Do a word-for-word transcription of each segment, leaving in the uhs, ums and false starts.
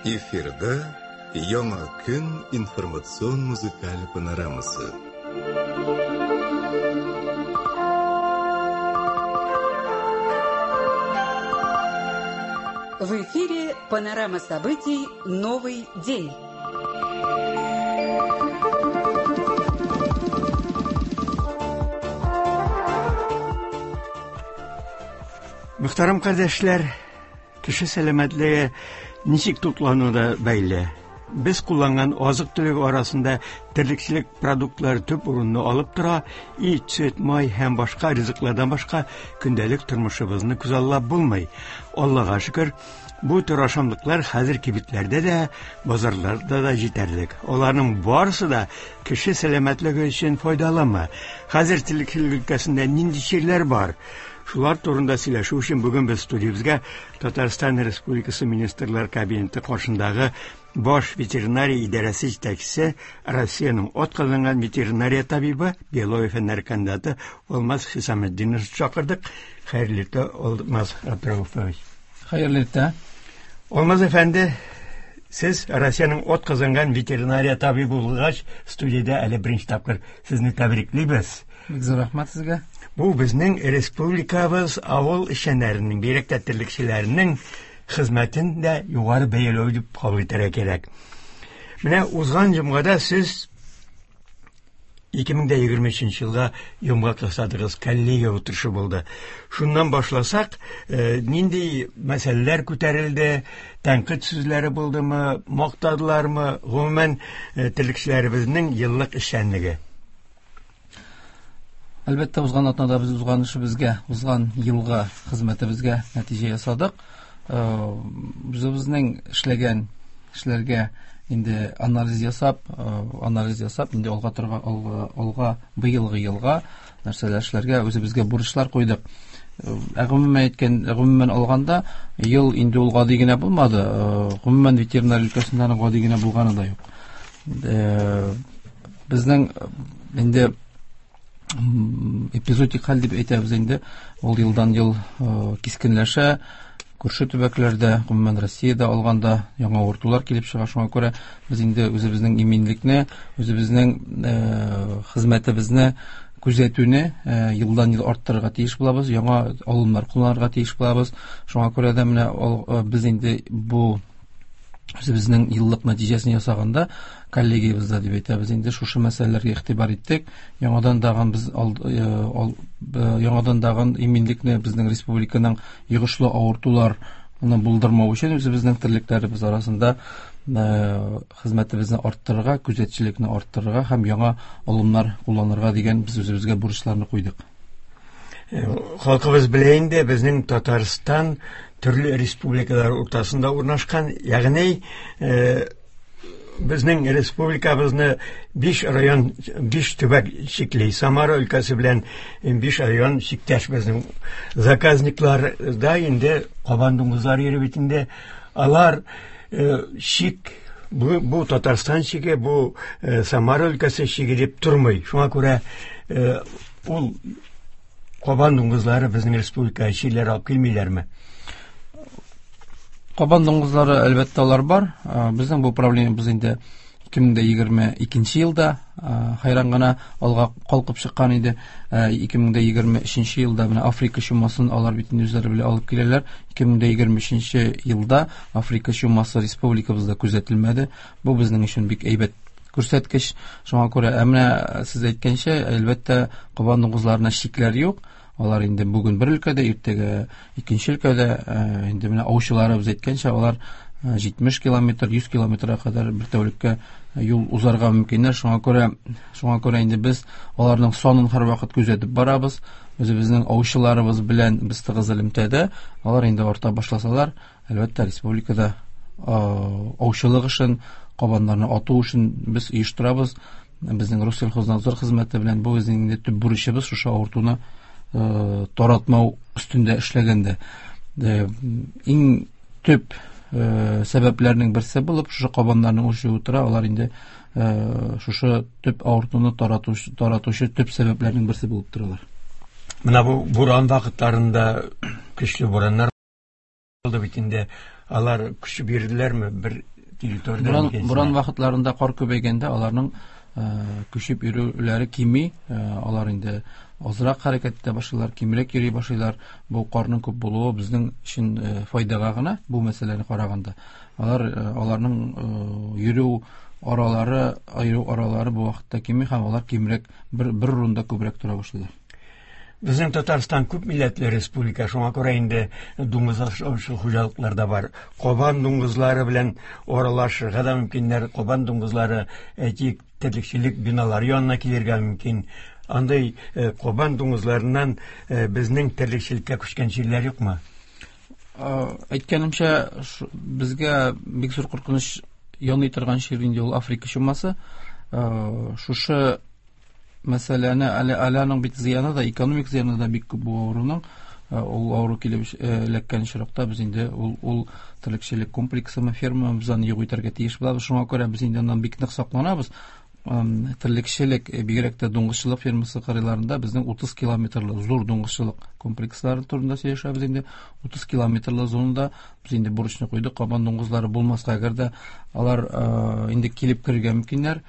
Эфирда Яңа көн информацион музыкаль панорамасы. В эфире панорама событий «Новый день». Мөхтәрәм кардәшләр, кеше сәламәтлеге ничек туклануда бәйле. Без кулланган азык-төлек арасында терлекчелек продуктлары төп урынны алып тора. Ит, сөт, май һәм башка ризыклардан башка көндәлек тормышыбызны күзаллап булмый. Аллага шөкер, бу төр ашамлыклар хәзер кибетләрдә дә, базарларда да җитәрлек. Аларның барысы да кеше сәламәтлеге өчен файдалымы? Хәзер терлекчелек өлкәсендә нинди чирләр бар? Шулар турында сөйләшү өчен бүген без студиябезгә Татарстан Республикасы Министрлар Кабинеты каршындагы Баш ветеринария идарәсе җитәкчесе, Россиянең атказанган ветеринария табибы, биология фәннәре кандидаты Алмаз Хисаметдинович чакырдык. Хәерле иртә, Алмаз Абдрауфович. Хәерле иртә. Алмаз әфәнде, сез Россиянең атказанган ветеринария табибы булгач, студиядә әле беренче тапкыр сезне тәбриклибез. Бик зур рәхмәт сезгә. Бу безнең республикабыз авыл эшчәннәренең, бигрәк тә терлекчеләренең хезмәтен дә югары бәяләү дип кабул итәргә кирәк. Менә узган җомгада сез ике мең дә егерме өченче елга йомгак ясадыгыз, коллегия утырышы булды. Шуннан башласак, э, нинди мәсьәләләр күтәрелде, тәнкыйть сүзләре булдымы, мактадылармы, гомумән, э, терлекчеләребезнең еллык эшчәнлеге? Әлбәттә, узган атнада без узган эшебезгә, узган елга хезмәтебезгә нәтиҗә ясадык. Э, үзебезнең эшләгән эшләргә инде анализ ясап, э, анализ ясап, инде алга торга, алга, алга быелгы елга нәрсәләр эшләргә үзебезгә бурычлар куйдык. Э, ә гомумән әйткән, гомумән алганда ел инде ул гади генә булмады. Э, гомумән ветеринар өлкәсендә аның гади генә булганы да юк. Э, безнең инде эпизодик хәл дип әйтәбез инде, ул елдан ел, э, кискенләшә. Күрше төбәкләрдә, гомумән Россиядә алганда яңа авыртулар килеп чыга. Шуңа күрә без инде үзебезнең иминлекне, үзебезнең, э, хезмәтебезне күзәтүне, э, елдан ел арттырырга тиеш булабыз, яңа алымнар кулланырга тиеш булабыз. Шуңа күрә дә менә ал-, э, без инде бу үзебезнең еллык нәтиҗәсен ясаганда коллегиябездә дип әйтәбез инде шушы мәсьәләләргә игътибар иттек. Яңадан дагын без ал-, э, ал-, э, яңадан дагын иминлекне безнең республиканың йогышлы авыртуларны булдырмау өчен үзебезнең терлекләребез арасында, э, хезмәтебезне арттырырга, күзәтчелекне арттырырга һәм яңа алымнар кулланырга дигән без үзебезгә бурычларны куйдык. Э, халкыбыз белә инде, безнең Татарстан төрле республикалар уртасында урнашкан, ягъни, э, безнең республикабызны биш район, биш төбәк чикли. Самара өлкәсе белән биш район чиктәш безнең. Заказникларда инде кабан дуңгызлары йөри бит инде. Алар, э, чик, бу, бу Татарстан чиге, бу, э, Самара өлкәсе чиге дип тормый. Шуңа күрә, э, ул кабан дуңгызлары безнең республикага чирләр алып килмиләрме? Кабан дуңгызлары әлбәттә алар бар. Э, безнең бу проблемабыз инде ике мең дә егерме икенче елда, э, хайран гына алга калкып чыккан иде. Э, ике мең дә егерме өченче елда менә Африка чумасын алар бит инде үзләре белән алып киләләр. Ике мең дә егерме өченче елда Африка чумасы республикабызда күзәтелмәде. Бу безнең өчен бик әйбәт күрсәткеч. Шуңа күрә, ә менә сез әйткәнчә, әлбәттә, кабан дуңгызларына шикләр юк. Алар инде бүген бер өлкәдә, иртәгә икенче өлкәдә, э, инде менә аучыларыбыз әйткәнчә, алар, э, җитмеш километр, йөз километрга кадәр бер тәүлеккә юл узарга мөмкиннәр. Шуңа күрә, шуңа күрә инде без аларның санын һәрвакыт күзәтеп барабыз. Үзебезнең аучыларыбыз белән без тыгыз элемтәдә. Алар инде арта башласалар, әлбәттә, республикада, э, аучылык эшен, кабаннарны ату эшен без оештырабыз. Безнең Россельхознадзор хезмәте белән бу безнең инде төп бурычыбыз, шушы авыртуны, э, таратмау өстендә эшләгәндә. Э, иң төп, э, сәбәпләрнең берсе булып шушы кабаннарның үрчүе тора. Алар инде, э, шушы төп авыртуны таратучы, таратучы төп сәбәпләрнең берсе булып торалар. Менә бу буран вакытларында көчле бураннар булды бит инде. Алар көч бирделәрме? Бер территориядән икенчесенә. Буран вакытларында кар күбәйгәндә аларның күчеп йөрүләре кими, алар инде азрак хәрәкәт итә башлыйлар, кимрәк йөри башлыйлар. Бу карның күп булуы безнең өчен файдага гына бу мәсьәләне караганда. Алар аларның йөрү аралары, йөрү аралары бу вакытта кими һәм алар кимрәк бер бер урында күбрәк тора башлыйлар. Безнең Татарстан күп милләтле республика, шуңа күрә инде дуңгыз асраучы хуҗалыклар да бар. Кабан дуңгызлары белән аралашырга да мөмкиннәр. Кабан дуңгызлары, әйтик, терлекчелек биналары янына килергә мөмкин. Андый кабан дуңгызларыннан безнең терлекчелеккә күчкән җирләр юкмы? Әйткәнемчә, безгә бик зур куркыныч яный торган чир инде ул Африка чумасы. Шушы мәсьәләне әле аның бит зыяны да, экономик зыяны да бик күп бу авыруның. Ул авыру килеп эләккән очракта без инде ул ул терлекчелек комплексымы, фермабыз аны юк итәргә тиеш булабыз. Шуңа күрә без инде аннан бик нык сакланабыз. Терлекчелек, бигрәк тә дуңгызчылык фермасы кырыйларында безнең утыз километрлы зур дуңгызчылык комплекслары турында сөйләшәбез инде. Утыз километрлы зонада без инде бурычны куйдык, кабан дуңгызлары булмаска, әгәр дә алар инде килеп керергә мөмкиннәр.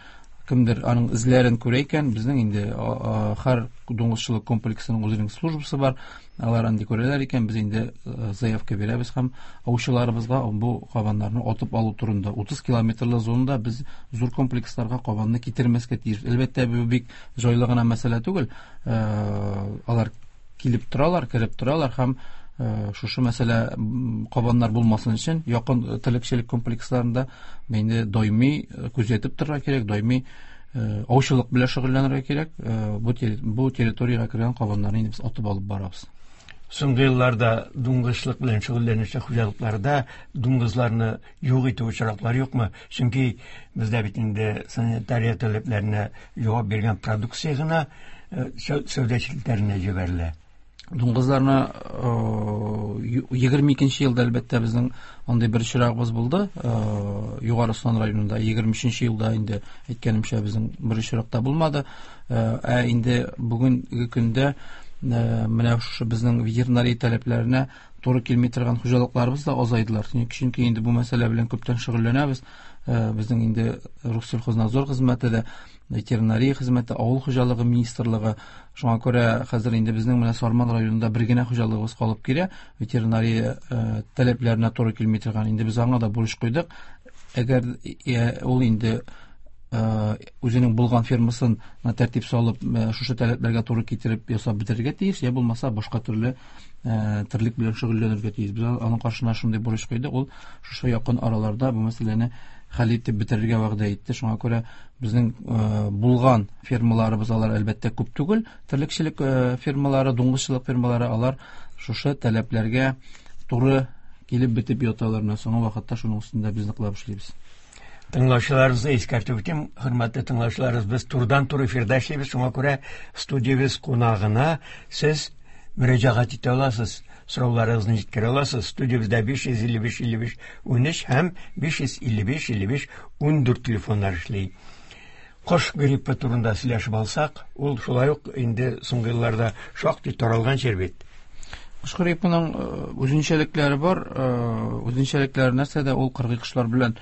Кемдер аның эзләрен күрә икән, безнең инде һәр дуңгызчылык комплексының үзенең службасы бар, алар андый күрәләр икән, без инде заявка бирәбез һәм аучыларыбызга бу кабаннарны атып алу турында. Утыз километрлы зонада без зур комплексларга кабанны китермәскә тиеш. Әлбәттә, бу бик җайлы гына мәсьәлә түгел. Алар килеп торалар, кереп торалар һәм шушы мәсьәлә кабаннар булмасын өчен якын терлекчелек комплексларында инде даими күзәтеп торырга кирәк, даими аучылык белән шөгыльләнергә кирәк. Бу бу территориягә кергән кабаннарны инде без атып алып барабыз. Соңгы елларда дуңгызчылык белән шөгыльләнүче хуҗалыкларда дуңгызларны юк итү очраклары юкмы? Чөнки бездә бит инде санитария таләпләренә җавап биргән продукция гына сәүдә челтәренә җибәрелә. Дуңгызларны егерме икенче елда әлбәттә безнең андый бер очрагыбыз булды. Югары Ослан районында егерме өченче елда инде әйткәнемчә безнең бер очракта булмады. Ә инде бүгенге көндә менә шушы безнең ветеринария таләпләренә туры килми торган хуҗалыкларыбыз да азайдылар. Чөнки инде бу мәсьәлә белән күптән шөгыльләнәбез. Безнең инде Россельхознадзор хезмәте дә, ветеринария хезмәте, авыл хуҗалыгы министрлыгы. Шуңа күрә хәзер инде безнең менә Сарман районында бер генә хуҗалыгыбыз калып килә, ветеринария таләпләренә туры килми торган. Инде без аңа да бурыч куйдык. Әгәр ул инде үзенең булган фермасын тәртип салып, шушы таләпләргә туры китереп ясап бетерергә тиеш, я булмаса башка төрле терлек белән шөгыльләнергә тиеш. Без аның каршына шундый бурыч куйдык. Ул шушы якын араларда бу мәсьәләне хәл итеп бетерергә вәгъдә итте. Шуңа күрә безнең булган фермаларыбыз алар әлбәттә күп түгел. Терлекчелек фермалары, дуңгызчылык фермалары алар шушы таләпләргә туры килеп бетеп яталар. Менә соңгы вакытта шуның өстендә без ныклап эшлибез. Тыңлаучыларыбызны искәртеп үтим, хөрмәтле тыңлаучыларыбыз, без турыдан-туры эфирда эшлибез, шуңа күрә студиябез кунагына сез мөрәҗәгать итә аласыз, сорауларыгызны җиткерә аласыз. Студиябездә биш йөз илле биш илле биш унөч һәм биш йөз илле биш илле биш ундүрт телефоннар эшли. Кош гриппы турында сөйләшеп алсак, ул шулай ук инде соңгы елларда шактый таралган чир бит. Кош гриппының үзенчәлекләре бар. Үзенчәлекләре нәрсәдә? Ул кыргый кошлар белән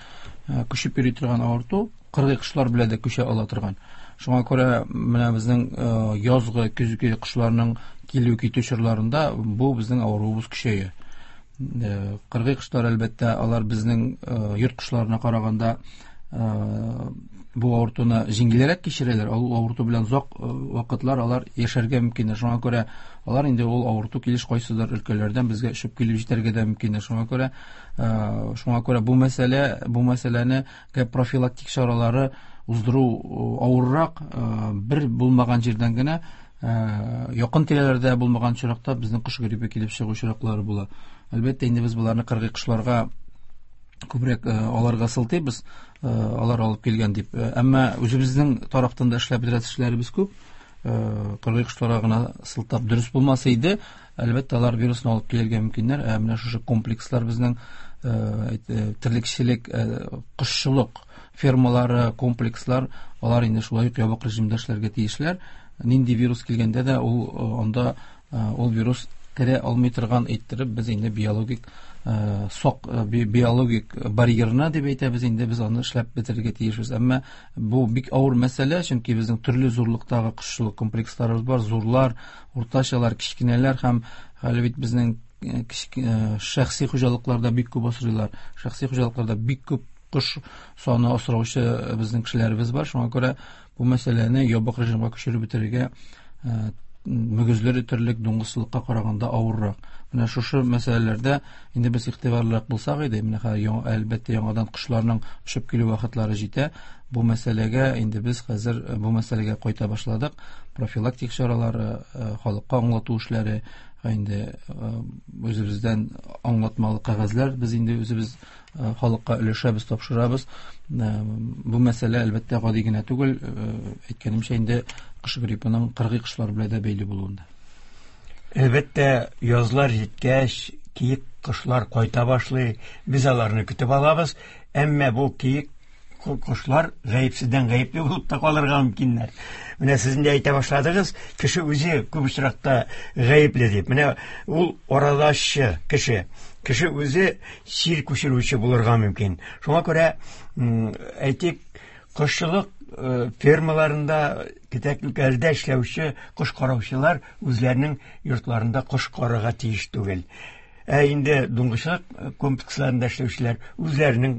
күчеп йөри торган авырту, кыргый кошлар белән дә күчә ала торган. Шуңа күрә менә безнең язгы, көзге кошларның килү китү чорларында бу безнең авыруыбыз көчәя. Кыргый кошлар әлбәттә алар безнең йорт кошларына караганда бу авыртуны җиңелрәк кичерәләр. Ул авырту белән озак вакытлар алар яшәргә мөмкиннәр. Шуңа күрә алар инде ул авырту килеш кайсыдыр өлкәләрдән безгә очып килеп җитәргә дә мөмкиннәр. Шуңа күрә, шуңа күрә бу мәсьәлә, бу мәсьәләне профилактик чаралары уздыру авыррак, бер булмаган җирдән генә, якын тирәләрдә булмаган очракта безнең кош гриппы килеп чыгу очраклары була. Әлбәттә, инде без боларны кыргый кошларга күбрәк аларга сылтыйбыз, алар алып килгән дип. Әмма үзебезнең тарафтан да эшләп бетерәсе эшләребез күп. Кыргый кошларга гына сылтап дөрес булмас иде. Әлбәттә, алар вирусны алып килергә мөмкиннәр. Ә менә шушы комплекслар безнең терлекчелек, кошчылык фермалары, комплекслар, алар инде шулай ук ябык режимда эшләргә тиешләр. Нинди вирус килгәндә дә ул анда ул вирус керә алмый торган иттереп без инде биологик сок, биологик барьерны дип әйтәбез инде, без аны эшләп бетерергә тиешбез. Әмма бу бик авыр мәсьәлә, чөнки безнең төрле зурлыктагы кошчылык комплексларыбыз бар, зурлар, уртачалар, кечкенәләр һәм әле бит безнең шәхси хуҗалыкларда бик күп асрыйлар. Шәхси хуҗалыкларда бик күп кош саны асраучы безнең кешеләребез бар. Шуңа күрә бу мәсьәләне ябык режимга күчереп бетерергә мөгезле терлек дуңгызчылыкка караганда авыррак. Менә шушы мәсьәләләрдә инде без игътибарлырак булсак иде, менә әлбәттә яңадан кошларның очып килү вакытлары җитә. Бу мәсьәләгә инде без хәзер бу мәсьәләгә кайта башладык. Профилактик чаралары, халыкка аңлату эшләре, инде үзебездән аңлатмалы кәгазьләр без инде үзебез халыкка өләшәбез, тапшырабыз. Бу мәсьәлә әлбәттә гади генә түгел, әйткәнемчә инде кош гриппының кыргый кошлар белән дә бәйле булуында. Әлбәттә, язлар җиткәч, киек кошлар кайта башлый, без аларны көтеп алабыз, әмма бу киек кошлар гаепсездән гаепле булып та калырга мөмкиннәр. Менә сез инде әйтә башладыгыз, кеше үзе күп очракта гаепле дип. Менә ул аралашчы кеше. Кеше үзе чир күчерүче булырга мөмкин. Шуңа күрә, әйтик, кошчылык фермаларында, кетәклекләрдә эшләүче кош караучылар үзләренең йортларында кош карарга тиеш түгел. Ә инде дуңгызчылык комплексларында эшләүчеләр үзләренең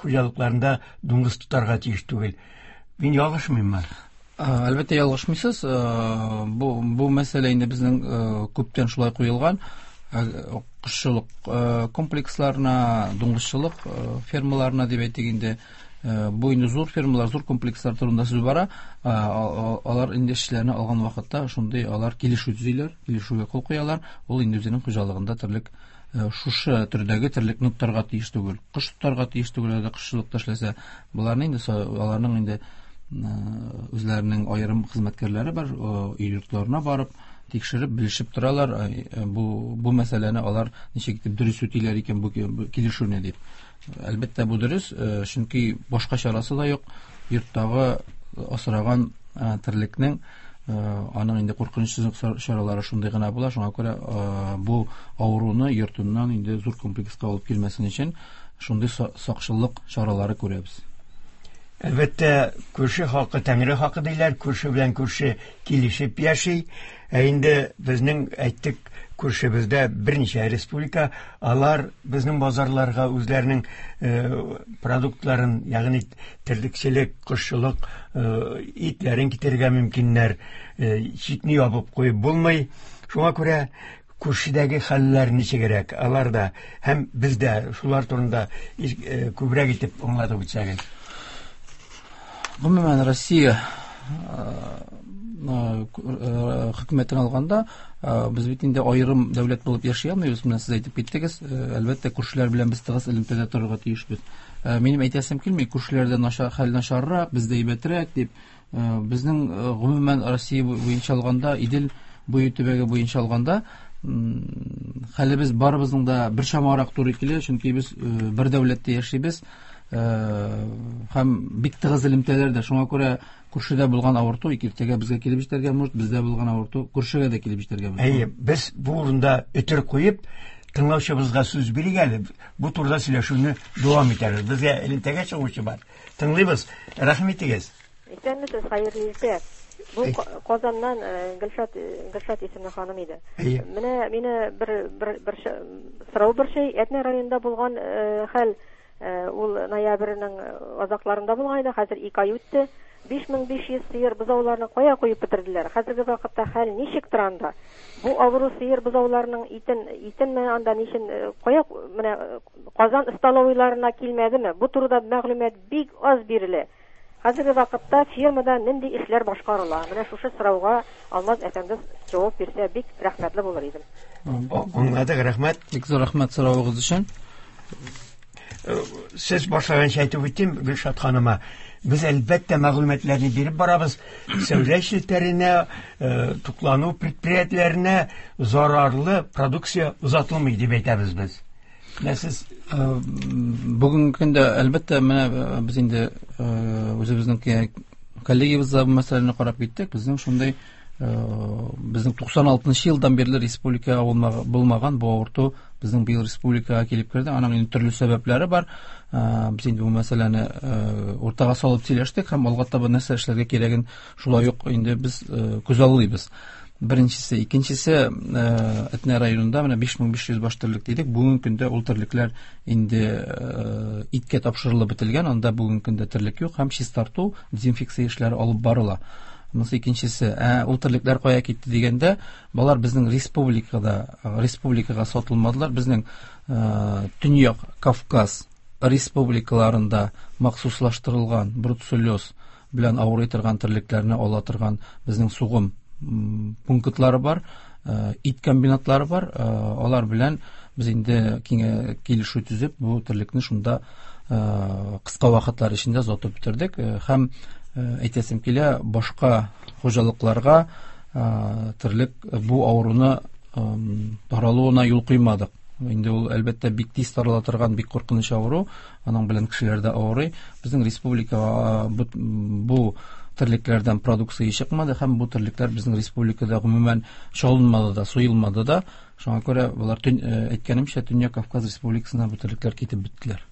хуҗалыкларында дуңгыз тотарга тиеш түгел. Мин ялгышмыйммы? Әлбәттә ялгышмыйсыз. Бу бу мәсьәлә инде безнең күптән шулай куелган. Кошчылык комплексларына, дуңгызчылык фермаларына дип әйтик инде, бу инде зур фермалар, зур комплекслар турында сүз бара. Алар инде эшчеләрне алган вакытта шундый алар килешү төзиләр, килешүгә кул куялар. Ул инде үзенең хуҗалыгында терлек шушы төрдәге терлекне тотарга тиеш түгел, кош тотарга тиеш түгел, әгәр кошчылыкта эшләсә. Буларны инде аларның инде үзләренең аерым хезмәткәрләре бар, өй йортларына барып тикшереп, белешеп торалар. Бу бу мәсьәләне алар ничек итеп дөрес үтиләр икән бу килешүне дип. Әлбәттә бу дөрес, чөнки башка чарасы да юк. Йорттагы асраган терлекнең аның инде куркынычсызлык чаралары шундый гына була. Шуңа күрә бу авыруны йортыннан инде зур комплекска алып килмәсен өчен шундый сакчыллык чаралары күрәбез. Әлбәттә, күрше халкы Тәңре хакы диләр, күрше белән күрше килешеп яши. Ә инде безнең әйттек, күршебездә берничә республика, алар безнең базарларга үзләренең продуктларын, ягъни терлекчелек, кошчылык, итләрен китерергә мөмкиннәр. Чикне ябып куеп булмый. Шуңа күрә күршедәге хәлләр ничегрәк, алар да һәм бездә шулар турында күбрәк итеп аңлатып үтсәгез. Гомумән, Россия хөкүмәтен алганда, без бит инде аерым дәүләт булып яши алмыйбыз. Менә сез әйтеп киттегез, әлбәттә, күршеләр белән без тыгыз элемтәдә торырга тиешбез. Минем әйтәсем килми, күршеләрдә начар, хәл начаррак, бездә әйбәтрәк дип. Безнең гомумән Россия буенча алганда, Идел буе төбәге буенча алганда, хәлебез барыбызның да бер чамарак туры килә, чөнки без бер дәүләттә яшибез. Һәм бик тыгыз элемтәләр дә. Шуңа күрә күршедә булган авырту иртәгә безгә килеп җитәргә мөмкин, бездә булган авырту күршегә дә килеп җитәргә мөмкин. Әйе, без бу урында өтер куеп, тыңлаучыбызга сүз бирик әле. Бу турыда сөйләшүне дәвам итәрбез. Безгә элемтәгә чыгучы бар. Тыңлыйбыз. Рәхмәт итегез. Исәнмесез, хәерле иртә. Бу Казаннан Гөлшат, Гөлшат исемле ханым иде. Менә мине бер бер бер сорау бер шей, Әтнә районында булган хәл, ул ноябрьнең азакларында булган иде, хәзер ике ай үтте. биш мең биш йөз сыер бозауларны кая куеп бетерделәр? Хәзерге вакытта хәл ничек тора анда? Бу авыру сыер бозауларының итен, итен менә анда ничен кая, менә Казан столовыйларына килмәдеме? Бу турыда мәгълүмат бик аз бирелә. Хәзерге вакытта фирмада нинди эшләр башкарыла? Менә шушы сорауга Алмаз әфәнде җавап бирсә бик рәхмәтле булыр идем. Аңладык, рәхмәт. Бик зур рәхмәт соравыгыз өчен. Сез башлаганча әйтеп үттем Гөлшат ханыма. Без әлбәттә мәгълүматларны биреп барабыз. Сәүдә челтәренә, туклану предприятиеләренә зарарлы продукция озатылмый дип әйтәбез без. Менә сез бүгенге көндә әлбәттә менә без инде үзебезнең коллегиябездә бу мәсьәләне карап киттек. Безнең шундый Безнең туксан алтынчы елдан бирле республикага булмаган бу авырту безнең быел республикага килеп керде. Аның инде төрле сәбәпләре бар. Без инде бу мәсьәләне уртага салып сөйләштек һәм алга таба нәрсә эшләргә кирәген шулай ук инде без күзаллыйбыз. Беренчесе, икенчесе, Әтнә районында менә биш мең биш йөз баш терлек дидек. Бүгенге көндә ул терлекләр инде иткә тапшырылып бетелгән, анда бүгенге көндә терлек юк һәм чистарту, дезинфекция эшләре алып барыла. Монысы икенчесе. Ә ул терлекләр кая китте дигәндә, балар безнең республикада, республикага сатылмадылар. Безнең Төньяк Кавказ республикаларында махсуслаштырылган бруцеллез белән авырый торган терлекләрне ала торган безнең сугым пунктлары бар, ит комбинатлары бар. Алар белән без инде килешү төзеп, бу терлекне шунда кыска вакытлар эчендә сатып бетердек. Һәм әйтәсем килә, башка хуҗалыкларга терлек бу авыруны таралуына юл куймадык. Инде ул әлбәттә бик тиз тарала торган бик куркыныч авыру, аның белән кешеләр дә авырый. Безнең республикага бу терлекләрдән продукция чыкмады һәм бу терлекләр безнең республикада гомумән чалынмады да, суелмады да. Шуңа күрә болар, әйткәнемчә, Төньяк Кавказ республикасына бу терлекләр китеп беттеләр.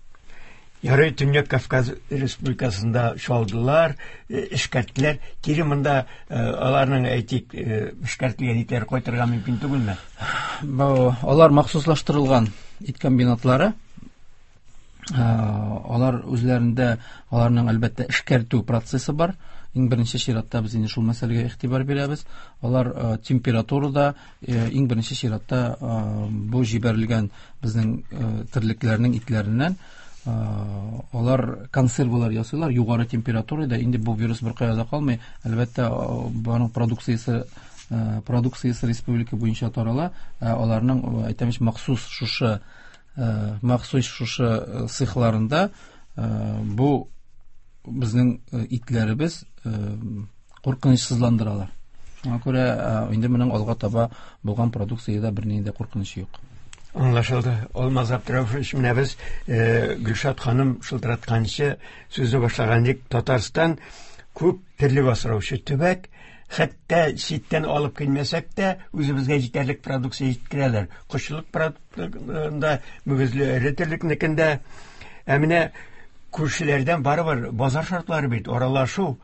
Ярый, Төньяк Кавказ республикасында чалдылар, эшкәрттеләр. Кире монда аларның, әйтик, эшкәртелгән итләр кайтырга мөмкин түгелме? Алар махсуслаштырылган ит комбинатлары. Алар үзләрендә, аларның әлбәттә эшкәртү процессы бар. Иң беренче чиратта без инде шул мәсьәләгә игътибар бирәбез. Алар температурада иң беренче чиратта бу җибәрелгән безнең терлекләрнең итләреннән алар консервалар ясыйлар югары температурада. Инде бу вирус бер кая да калмый. Әлбәттә, аның продукциясе продукциясе республика буенча тарала. Аларның, әйтәмеш, махсус шушы махсус шушы цехларында бу безнең итләребез куркынычсызландыралар. Шуңа күрә инде моның алга таба булган продукциядә бернинди дә куркыныч юк. Аңлашылды. Алмаз Абдрауфович, менә без Гөлшат ханым шылтыратканчы сүзне башлаган идек. Татарстан күп терлек асраучы төбәк, хәтта читтән алып килмәсәк тә үзебезгә җитәрлек продукция җиткерәләр. Кошчылык продуктында, мөгезле эре терлекнекендә. Ә менә күршеләрдән барыбер базар шартлары бит, аралашу,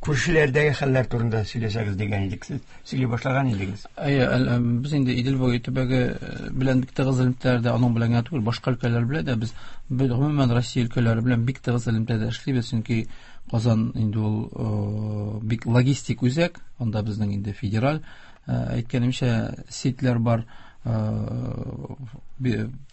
күршеләрдәге хәлләр турында сөйләсәгез дигән идек, сез сөйли башлаган идегез. Әйе, без инде Идел буе төбәге белән бик тыгыз элемтәләрдә, аның белән генә түгел, башка өлкәләр белән дә без гомумән Россия өлкәләре белән бик тыгыз элемтәдә эшлибез, чөнки Казан инде ул бик логистик үзәк, анда безнең инде федераль, әйткәнемчә, сетьләр бар.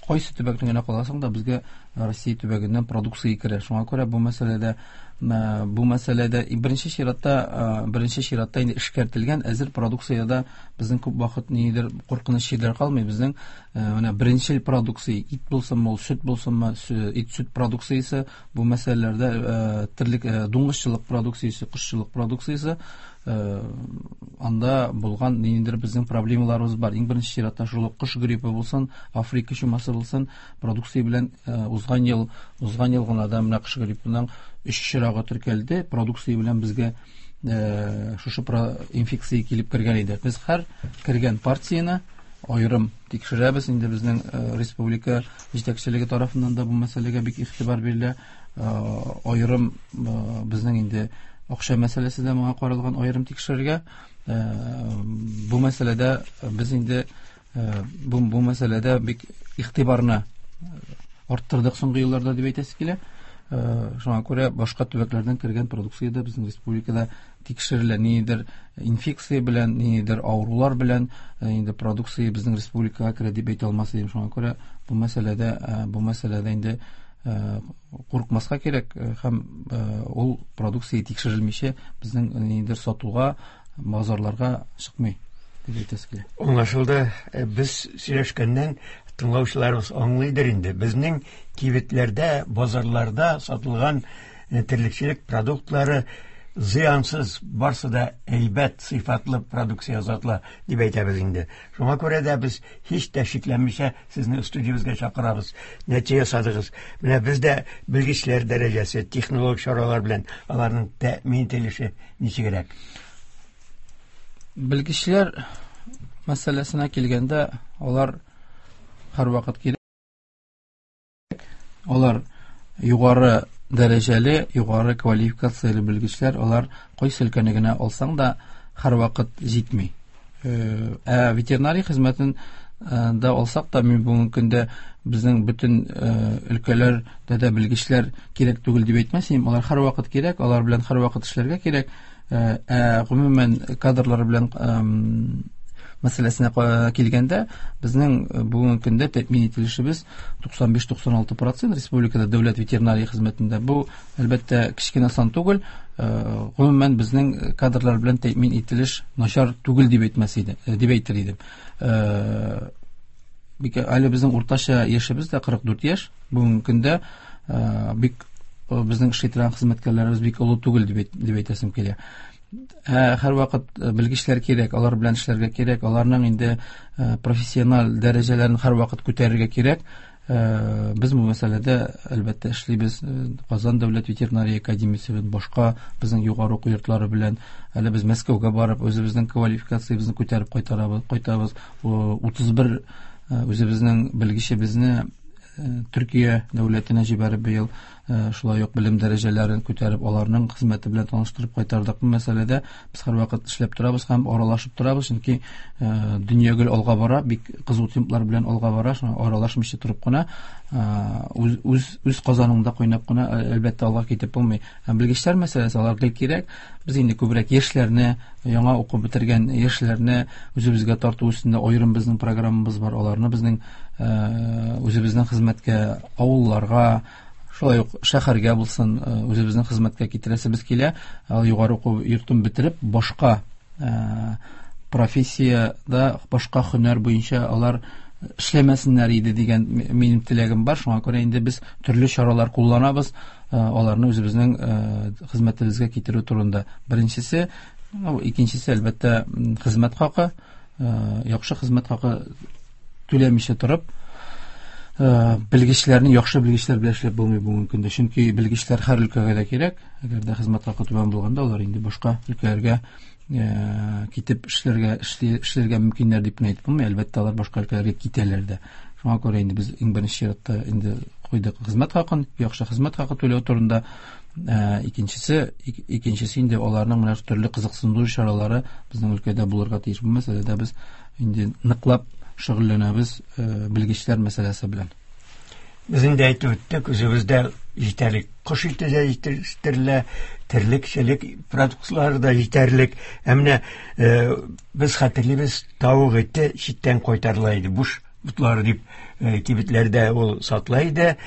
Кайсы төбәкне генә каласаң да безгә Россия төбәгеннән продукция керә. Шуңа күрә бу мәсьәләдә, бу мәсьәләдә беренче чиратта, беренче чиратта инде эшкәртелгән әзер продукциядә безнең күп вакыт нидер куркыныч җирләр калмый. Безнең менә беренчел продукция, ит булсынмы, ул сөт булсынмы, ит сөт продукциясе, бу мәсьәләләрдә терлек, дуңгызчылык продукциясе, кошчылык продукциясе, анда булган ниндидер безнең проблемаларыбыз бар. Иң беренче чиратта шул ук кош гриппы булсын, Африка чумасы булсын, продукция белән узган ел, узган ел гына да менә кош гриппының өч чирагы теркәлде. Продукция белән безгә шушы инфекция килеп кергән иде. Без һәр кергән партияне аерым тикшерәбез. Инде безнең республика җитәкчелеге тарафыннан да бу мәсьәләгә бик игътибар бирелә. Аерым безнең инде акча мәсьәләсе дә моңа каралган, аерым тикшерергә. Бу мәсьәләдә без инде бу, бу мәсьәләдә бик игътибарны арттырдык соңгы елларда дип әйтәсе килә. Шуңа күрә башка төбәкләрдән кергән продукция дә безнең республикада тикшерелә. Ниндидер инфекция белән, ниндидер авырулар белән инде продукция безнең республикага керә дип әйтә алмас идем. Шуңа күрә бу мәсьәләдә, бу мәсьәләдә инде куркмаска кирәк һәм ул продукция тикшерелмичә безнең ниндидер сатуга, базарларга чыкмый дип әйтәсе килә. Аңлашылды. Без сөйләшкәннән тыңлаучыларыбыз аңлыйдыр инде. Безнең кибетләрдә, базарларда сатылган терлекчелек продуктлары зыянсыз, барсы да әйбәт, сыйфатлы продукция сатыла дип әйтәбез инде. Шуңа күрә дә без һич тә шикләнмичә сезне студиябезгә чакырабыз. Нәтиҗә ясадыгыз. Менә бездә белгечләр дәрәҗәсе, технологик чаралар белән аларның тәэмин ителеше ничегрәк? Белгечләр мәсьәләсенә килгәндә, алар һәрвакыт кирәк. Алар югары дәрәҗәле, югары квалификацияле белгечләр, алар кайсы өлкәне генә алсаң да һәрвакыт җитми. Ә ветеринария хезмәтен да алсак та, мин бүгенге көндә безнең бөтен өлкәләрдә дә белгечләр кирәк түгел дип әйтмәс идем. Алар һәрвакыт кирәк, алар белән һәрвакыт эшләргә кирәк. Ә гомумән кадрлар белән мәсьәләсенә килгәндә, безнең бүгенге көндә тәэмин ителешебез туксан биш туксан алты процент республикада дәүләт ветеринария хезмәтендә. Бу әлбәттә кечкенә сан түгел. Гомумән безнең кадрлар белән тәэмин ителеш начар түгел дип әйтмәс идем, дип әйтер идем. Бик әле безнең уртача яшебез дә кырык дүрт яшь. Бүгенге көндә бик безнең эшли торган хезмәткәрләребез бик олы түгел дип дип әйтәсем килә. Ә һәрвакыт белгечләр кирәк, алар белән эшләргә кирәк, аларның инде профессиональ дәрәҗәләрен һәрвакыт күтәрергә кирәк. Без бу мәсьәләдә әлбәттә эшлибез. Казан дәүләт ветеринария академиясе белән, башка безнең югары уку йортлары белән, әле без Мәскәүгә барып үзебезнең квалификациябезне күтәреп кайтарабыз, кайтабыз. утыз бер үзебезнең белгечебезне Төркия дәүләтенә җибәреп быел шулай ук белем дәрәҗәләрен күтәреп, аларның хезмәте белән таныштырып кайтардык. Бу мәсьәләдә без һәрвакыт эшләп торабыз һәм аралашып торабыз, чөнки дөнья гел алга бара, бик кызу темплар белән алга бара, шуңа аралашмыйча торып кына, үз, үз, үз казаныңда кайнап кына әлбәттә алга китеп булмый. Һәм белгечләр мәсьәләсе алар гел кирәк. Без инде күбрәк яшьләрне, яңа укып бетергән яшьләрне үзебезгә тарту өстендә аерым безнең программабыз бар. Аларны безнең үзебезнең хезмәткә, авылларга, шулай ук шәһәргә булсын, үзебезнең хезмәткә китерәсебез килә. Ал югары уку йортын бетереп, башка профессияда, башка һөнәр буенча алар эшләмәсеннәр иде дигән минем теләгем бар. Шуңа күрә инде без төрле чаралар кулланабыз, аларны үзебезнең хезмәтебезгә китерү турында. Беренчесе, икенчесе әлбәттә хезмәт хакы, яхшы хезмәт хакы түләмичә торып, белгечләрне, яхшы белгечләр белән эшләп булмый бүгенге көндә. Чөнки белгечләр һәр өлкәгә дә кирәк. Әгәр дә хезмәт хакы түбән булганда, алар инде башка өлкәләргә китеп эшләргә, эшләргә мөмкиннәр дип кенә әйтеп булмый. Әлбәттә, алар башка өлкәләргә китәләр дә. Шуңа күрә инде без иң беренче чиратта инде куйдык хезмәт хакын, яхшы хезмәт хакы түләү турында. Икенчесе, икенчесе инде аларның менә төрле кызыксындыру чаралары безнең өлкәдә булырга тиеш. Бу мәсьәләдә без инде ныклап шөгыльләнәбез белгечләр мәсьәләсе белән. Без инде әйтеп үттек, үзебездә җитәрлек кош ите дә җитештерелә, терлекчелек продуктлары да җитәрлек. Ә менә без хәтерлибез, тавык ите читтән кайтарыла иде, буш ботлары дип кибетләрдә ул сатыла иде.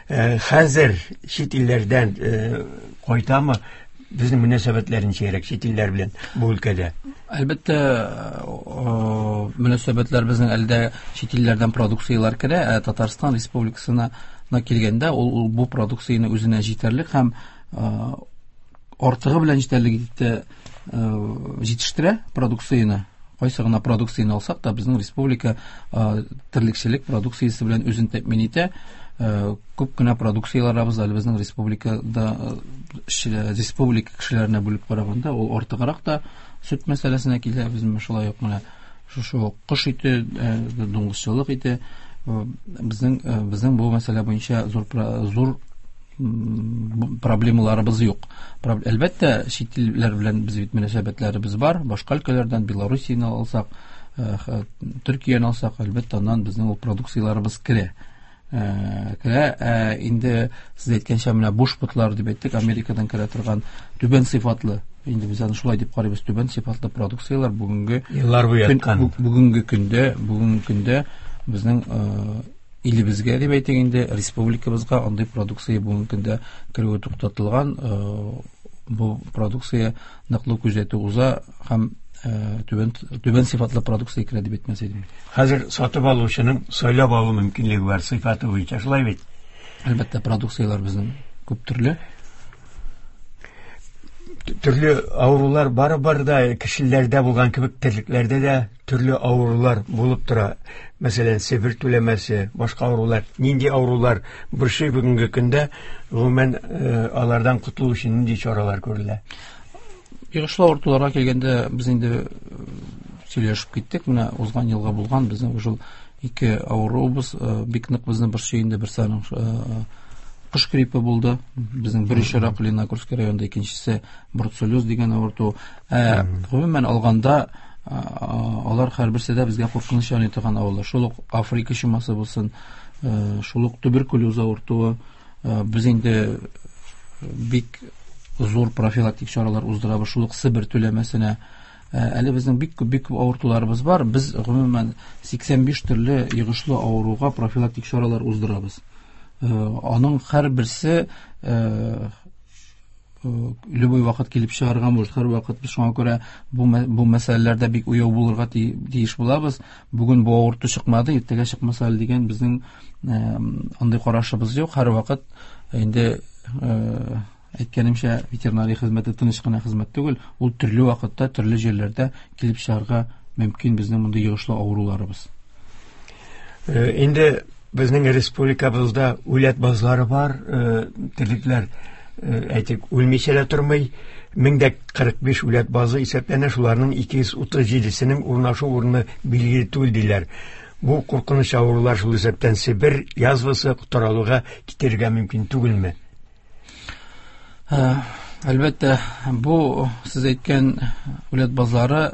Хәзер чит илләрдән кайтамы? Безнең мөнәсәбәтләр ничегрәк чит илләр белән бу өлкәдә? Әлбәттә, мөнәсәбәтләр безнең әлдә чит илләрдән продукцияләр керә, ә Татарстан Республикасына килгәндә ул, ул бу продукцияне үзенә җитәрлек һәм артыгы белән җитәрлек итеп җитештерә продукцияне. Кайсы гына продукцияне алсак та, безнең республика терлекчелек продукциясе белән үзен тәэмин итә. Күп кенә продукцияләребез әле безнең республикада, республика кешеләренә бүлеп караганда, ул артыграк та сөт мәсьәләсенә килә. Без шулай ук менә шушы кош ите, дуңгызчылык ите, безнең, безнең бу мәсьәлә буенча зур, зур проблемаларыбыз юк. Әлбәттә, чит илләр белән без бит мөнәсәбәтләребез бар. Башка өлкәләрдән Белоруссияне алсак, Төркияне алсак, әлбәттә, аннан безнең ул продукцияләребез керә. Керә. Инде сез әйткәнчә, менә буш ботлар дип әйттек, Америкадан керә торган түбән сыйфатлы, инде без аны шулай дип карыйбыз, түбән сыйфатлы продукцияләр бүгенге еллар буе яткан. Бүгенге көндә, бүгенге көндә безнең илебезгә дип әйтик инде, республикабызга андый продукция бүгенге көндә керүе туктатылган. Бу продукция ныклы күзәтү уза һәм түбән, түбән сыйфатлы продукция керә дип әйтмәс идем. Хәзер сатып алучының сайлап алу мөмкинлеге бар сыйфаты буенча, шулай бит? Әлбәттә, продукцияләр безнең күп төрле. Төрле авырулар барыбер да кешеләрдә булган кебек терлекләрдә дә төрле авырулар булып тора. Мәсәлән, Себер түләмәсе, башка авырулар. Нинди авырулар борчый бүгенге көндә? Гомумән, алардан котылу өчен нинди чаралар күрелә? Йогышлы авыртуларга килгәндә без инде сөйләшеп киттек. Менә узган елга булган безнең шул ике авыруыбыз бик нык безне борчый инде. Берсе аның кош гриппы булды. Безнең бер очрак Лениногорск районында, икенчесе бруцеллез дигән авырту. Ә гомумән алганда алар һәрберсе дә безгә куркыныч яный торган авырулар. Шул ук Африка чумасы булсын, шул ук туберкулез авыртуы. Без инде бик зур профилактик чаралар уздырабыз. Шул ук Себер түләмәсенә. Әле безнең бик күп, бик күп авыртуларыбыз бар. Без гомумән сиксән биш төрле йогышлы авыруга профилактик чаралар уздырабыз. Аның һәрберсе любой вакыт килеп чыгарга может. Һәр вакыт без шуңа күрә бу бу мәсьәләләрдә бик уяу булырга тиеш булабыз. Бүген бу авырту чыкмады, иртәгә чыкмаса әле дигән безнең андый карашыбыз юк. Һәр вакыт инде әйткәнемчә, ветеринария хезмәте тыныч кына хезмәт түгел, ул төрле вакытта, төрле җирләрдә килеп чыгарга мөмкин безнең мондый йогышлы авыруларыбыз. Инде безнең республикабызда үләт базлары бар, терлекләр әйтик, үлмичә дә тормый. Мең дә кырык биш үләт базы исәпләнә, шуларның ике йөз утыз җидесенең урнашу урыны билгеле түгел диләр. Бу куркыныч авырулар шул исәптән Себер язвасы таралуга китерергә мөмкин түгелме? Әлбәттә, бу сез әйткән үләт базлары,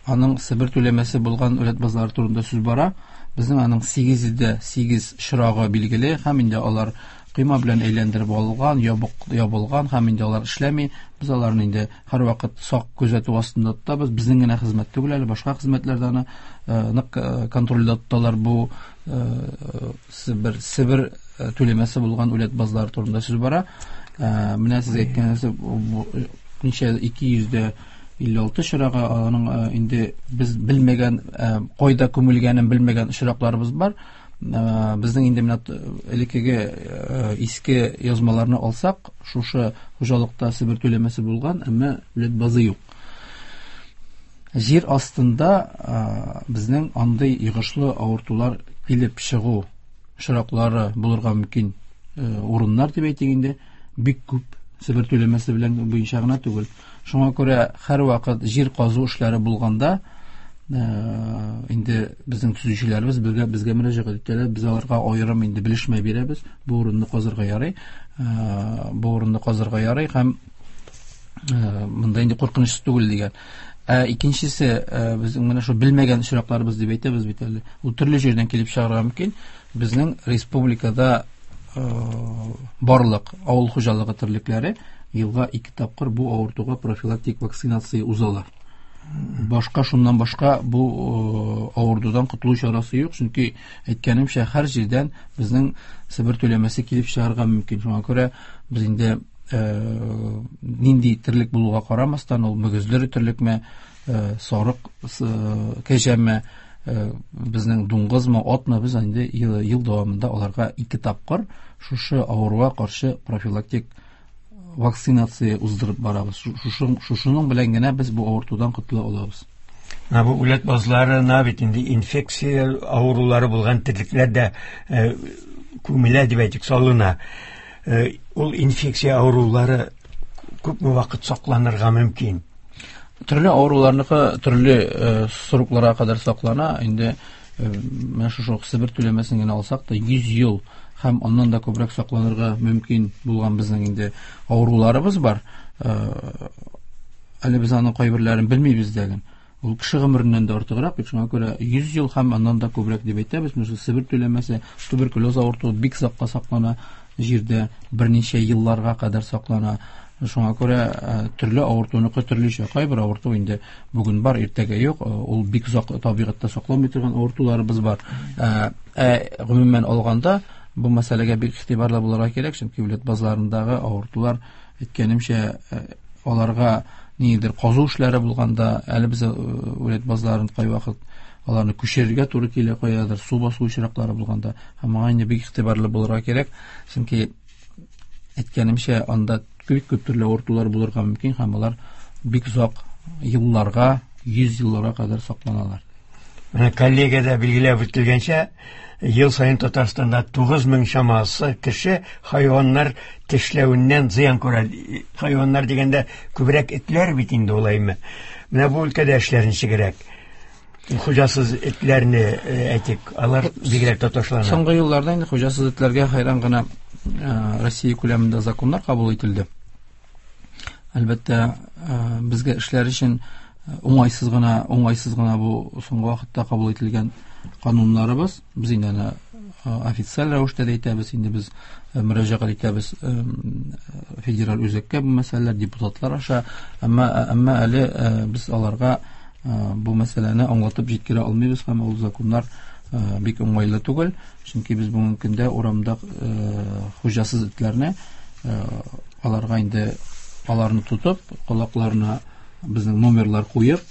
аның Себер түләмәсе булган үләт базлары турында сүз бара. Безнең аның сигез йөз дә сигез очрагы билгеле, һәм инде алар койма белән әйләндереп алган, ябык, ябылган, һәм инде алар эшләми. Без аларны инде һәрвакыт сак күзәтү астында тотабыз. Безнең генә хезмәт түгел әле, башка хезмәтләр дә аны, э, нык, э, контрольдә тоталар. Бу, э, Себер, Себер, э, түләмәсе булган үләт базлары турында сүз бара. Э, менә сез әйткән нәрсә, бу, ничә ике йөз дә илле алты очрагы, аның, э, инде без белмәгән, э, кайда күмелгәнен белмәгән очракларыбыз бар. Э, безнең инде менә элеккеге, э, иске язмаларны алсак, шушы хуҗалыкта Себер түләмәсе булган, әмма үләт базы юк. Җир астында, э, безнең андый йогышлы авыртулар килеп чыгу очраклары булырга мөмкин, э, урыннар дип әйтик инде, бик күп Себер түләмәсе белән буенча гына түгел. Шуңа күрә һәрвакыт җир казу эшләре булганда, э, инде безнең төзүчеләребез безгә, безгә мөрәҗәгать итәләр, без аларга аерым инде белешмә бирәбез. Бу урынны казырга ярый, э, бу урынны казырга ярый һәм, э, монда инде куркынычсыз түгел дигән. Ә икенчесе, э, безнең менә шул белмәгән очракларыбыз дип әйтәбез бит әле. Ул төрле җирдән килеп чыгарга мөмкин. Безнең республикада, э, барлык авыл хуҗалыгы терлекләре елга ике тапкыр бу авыртуга профилактик вакцинация узалар. Башка, шуннан башка бу, э, авыртудан котылу чарасы юк, чөнки әйткәнемчә, һәр җирдән безнең Себер түләмәсе килеп чыгарга мөмкин. Шуңа күрә без инде, э, нинди терлек булуга карамастан, ул мөгезле терлекме, э, сарык, э, кәҗәме, э, безнең дуңгызмы, атмы, без инде ел, ел дәвамында аларга ике тапкыр шушы авыруга каршы профилактик вакцинация уздырып барабыз. Шушы, шушының белән генә без бу авыртудан котыла алабыз. Менә бу үләт базларына бит инде инфекция авырулары булган терлекләр дә, э, күмелә дип әйтик, салына. Э, ул инфекция авырулары күпме вакыт сакланырга мөмкин? Төрле авыруларныкы төрле, э, срокларга кадәр саклана. Инде, э, менә шушы Себер түләмәсен генә алсак та йөз ел һәм аннан да күбрәк сакланырга мөмкин булган безнең инде авыруларыбыз бар. Э, әле без аның кайберләрен белмибез дә. Ул кеше гомереннән дә артыграк бит, шуңа күрә йөз ел һәм аннан да күбрәк дип әйтәбез. Менә шул Себер түләмәсе, туберкулез авыртуы бик озакка саклана, җирдә берничә елларга кадәр саклана. Шуңа күрә, э, төрле авыртуныкы төрлечә. Кайбер авырту инде бүген бар, иртәгә юк. Э, ул бик озак табигатьтә сакланмый торган авыртуларыбыз бар. Э, ә гомумән алганда бу мәсьәләгә бик игътибарлы булырга кирәк, чөнки үләт базларындагы авыртулар, әйткәнемчә, э, аларга ниндидер казу эшләре булганда, әле без, э, үләт базларын кайвакыт аларны күчерергә туры килә, каядыр су басу очраклары булганда, һәм моңа инде бик игътибарлы булырга кирәк, чөнки әйткәнемчә, анда бик күп төрле авыртулар булырга мөмкин һәм алар бик озак елларга, йөз елларга кадәр сакланалар. Менә коллегиядә билгеләп үтелгәнчә, ел саен Татарстанда тугыз мең чамасы кеше хайваннар тешләвеннән зыян күрә. Хайваннар дигәндә күбрәк этләр бит инде улаймы. Менә бу өлкәдә эшләр ничегрәк? Хуҗасыз этләрне әйтик, алар бигрәк тә ташлана. Соңгы елларда инде хуҗасыз этләргә хайран гына Россия күләмендә законнар кабул ителде. Әлбәттә, безгә эшләр өчен уңайсыз гына, уңайсыз гына бу соңгы вакытта кабул ителгән кануннарыбыз. Без инде аны официаль рәвештә дә әйтәбез, инде без мөрәҗәгать итәбез федераль үзәккә бу мәсьәләләр депутатлар аша, әмма, әмма әле без аларга бу мәсьәләне аңлатып җиткерә алмыйбыз һәм ул законнар бик уңайлы түгел, чөнки без бүгенге көндә урамда хуҗасыз этләрне аларга инде аларны тотып, колакларына безнең номерлар куеп,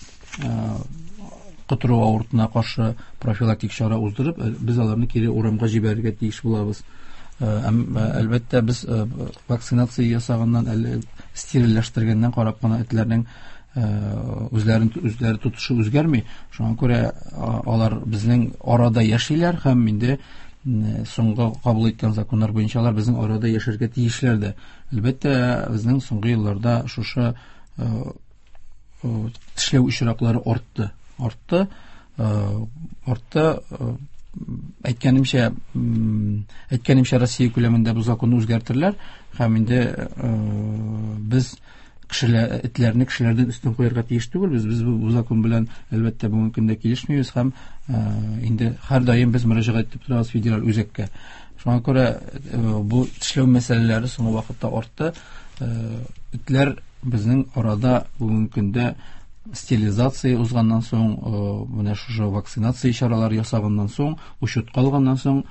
котыру авыртына каршы профилактик чара уздырып, без аларны кире урамга җибәрергә тиеш булабыз. Әлбәттә, без вакцинация ясаганнан, әле стерильләштергәннән карап кына этләрнең үзләрен үзләре тотышы үзгәрми. Шуңа күрә алар безнең арада яшиләр һәм инде соңгы кабул иткән законнар буенча алар безнең арада яшәргә тиешләр дә. Әлбәттә, безнең соңгы елларда шушы тешләү очраклары артты. Артты, артты. Әйткәнемчә, әйткәнемчә Россия күләмендә бу законны үзгәртерләр һәм инде без кешеләр, этләрне кешеләрдән өстен куярга тиеш түгел. Без, без бу закон белән әлбәттә бүгенге көндә килешмибез һәм инде һәрдаим без мөрәҗәгать итеп торабыз федераль үзәккә. Шуңа күрә бу тешләү мәсьәләләре соңгы вакытта артты. Этләр безнең арада бүгенге көндә стерилизация узганнан соң, менә шушы вакцинация чаралары ясаганнан соң, учетка алганнан соң,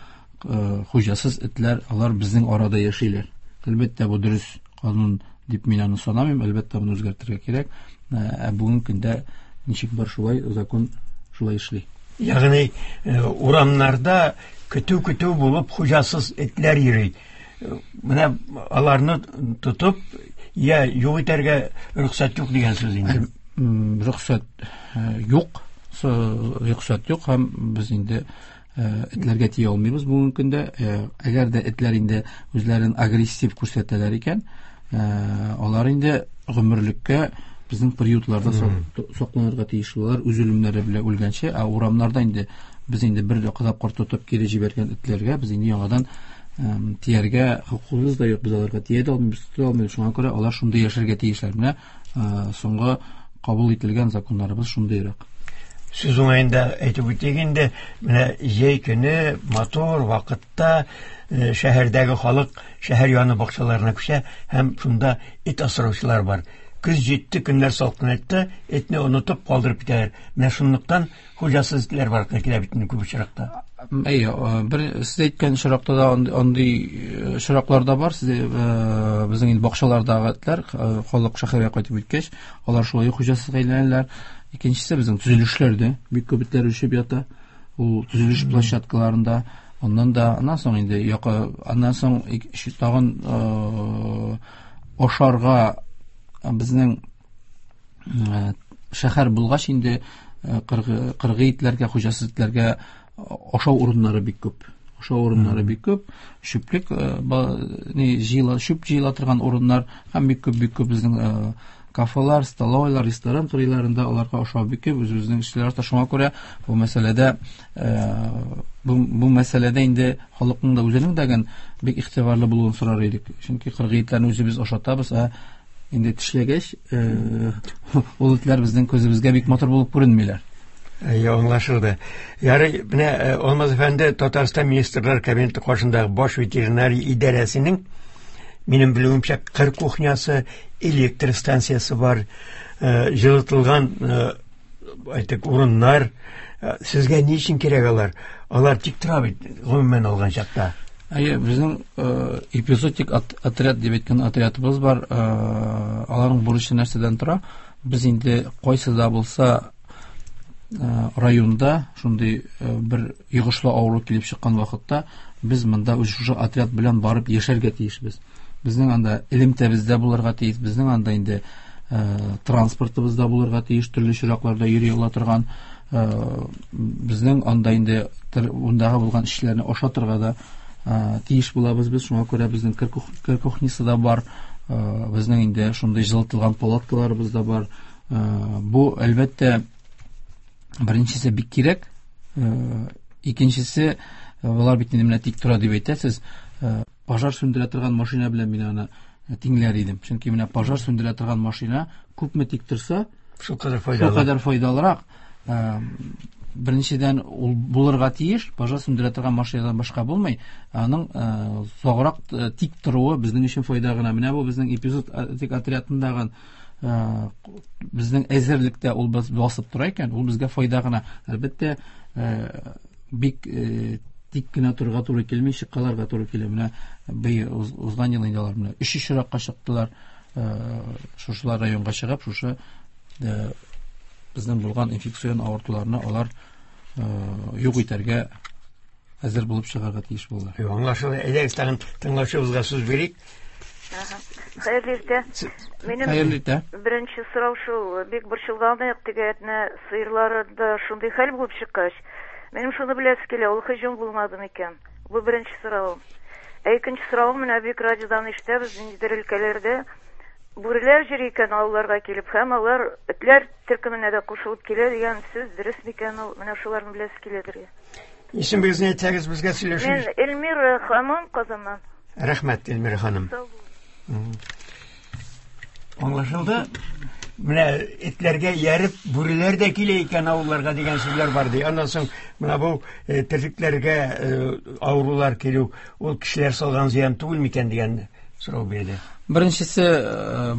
хуҗасыз этләр алар безнең арада яшиләр. Әлбәттә, бу дөрес канун дип мин аны санамыйм, әлбәттә, моны үзгәртергә кирәк. Ә бүгенге көндә ничек бар шулай, закон шулай эшли. Ягъни урамнарда көтү-көтү булып хуҗасыз этләр йөри. Менә аларны тотып, я юк итәргә рөхсәт юк дигән сүз инде. Рөхсәт юк, рөхсәт юк һәм без инде этләргә тия алмыйбыз бүгенге көндә. Әгәр дә этләр инде үзләрен агрессив күрсәтәләр икән, алар инде гомерлеккә безнең приютларда сакланырга тиеш булалар, үз үлемнәре белән үлгәнче. Ә урамнарда инде без инде бер тапкыр тотып кире җибәргән этләргә без инде яңадан тияргә хокукыбыз да юк, без аларга тия дә алмыйбыз, тота алмыйбыз. Шуңа күрә алар шундый яшәргә тиешләр. Менә соңгы кабул ителгән законнарыбыз шундыйрак. Сүз уңаенда әйтеп үтик инде, менә җәй көне матур вакытта шәһәрдәге халык шәһәр яны бакчаларына күчә һәм шунда эт асраучылар бар. Көз җитте, көннәр салкынайтты, этне онытып калдырып китәләр. Менә шунлыктан хуҗасыз этләр бар килә бит инде күп очракта. Әйе, бер сез әйткән очракта да андый очраклар да бар. Сез безнең инде бакчалардагы этләр халык шәһәргә кайтып киткәч, алар шулай хуҗасызга әйләнәләр. Икенчесе безнең төзелешләрдә бик күп этләр үрчеп ята. Ул төзелеш площадкаларында, аннан да, аннан соң инде якы, аннан соң тагын ашарга безнең шәһәр булгач инде кыргый итләргә, хуҗасыз итләргә ашау урыннары бик күп. Ашау урыннары бик күп. Чүплек, ни җыела, чүп җыела торган урыннар һәм бик күп, бик күп безнең кафелар, столовойлар, ресторан кырыйларында аларга ашау бик күп. Үзебезнең эшләр арта. Шуңа күрә бу мәсьәләдә, бу, бу мәсьәләдә инде халыкның да үзенең дә бик игътибарлы булуын сорар идек. Чөнки кыргый итләрне үзебез ашатабыз, ә инде тешләгәч, ул этләр безнең күзебезгә бик матур булып күренмиләр. Әйе, аңлашылды. Ярый, менә Алмаз әфәнде, Татарстан Министрлар Кабинеты каршындагы баш ветеринария идарәсенең, минем белүемчә, кыр кухнясы, электр станциясе бар, җылытылган, әйтик, урыннар. Сезгә ни өчен кирәк алар? Алар тик тора бит, гомумән алган чакта. Әйе, безнең эпизодик отряд дип әйткән отрядыбыз бар. Аларның бурычы нәрсәдән тора? Без инде кайсы да булса районда шундый бер йогышлы авыру килеп чыккан вакытта без монда үз шушы отряд белән барып яшәргә тиешбез. Безнең анда элемтәбез дә булырга тиеш, безнең анда инде транспортыбыз да булырга тиеш, төрле чиракларда йөри ала торган. Безнең анда инде ундагы булган эшчеләрне ашатырга да тиеш булабыз без. Шуңа күрә безнең кер кухнясы да бар, безнең инде шундый җылытылган палаткаларыбыз да бар. Бу, әлбәттә, беренчесе бик кирәк, икенчесе, алар бит инде менә тик тора дип әйтәсез, пожар сүндерә торган машина белән мин аны тиңләр идем. Чөнки менә пожар сүндерә торган машина күпме тик торса, шул кадәр файдалы. Шул кадәр файдалырак. Беренчедән, ул булырга тиеш, пожар сүндерә торган машинадан башка булмый. Аның озаграк тик торуы безнең өчен файда гына. Менә бу безнең эпизод отрядындагы безнең әзерлектә ул басып тора икән, ул безгә файда гына. Әлбәттә, бик тик кенә торырга туры килми, чыккаларга туры килә. Менә быел узган ел инде алар менә өч очракка чыктылар, шушылар районга чыгып, шушы безнең булган инфекцион авыртуларны алар юк итәргә әзер булып чыгарга тиеш булдылар. Аңлашылды. Әйдәгез, тагын тыңлаучыбызга сүз бирик. Хәерле иртә. Минем Хәерле иртә. Беренче сорау шул, бик борчылганык, теге Әтнә сыерларында шундый хәл булып чыккач, минем шуны беләсе килә, ул һөҗүм булмады микән? Бу беренче соравым. Ә икенче соравым, менә бик радиодан ишетәбез, ниндидер өлкәләрдә бүреләр йөри икән авылларга килеп, һәм алар этләр төркеменә дә кушылып килә дигән сүз дөрес микән ул? Менә шуларны беләсе киләдер. Исемегезне әйтсәгез, безгә сөйләшегез. Мин Эльмира ханым, Казаннан. Рәхмәт, Эльмира ханым. Аңлашылды. Менә этләргә ияреп бүреләр дә килә икән авылларга дигән сүзләр бар ди. Аннан соң менә бу терлекләргә авырулар килү, ул кешеләр салган зыян түгел микән дигән сорау бирде. Беренчесе,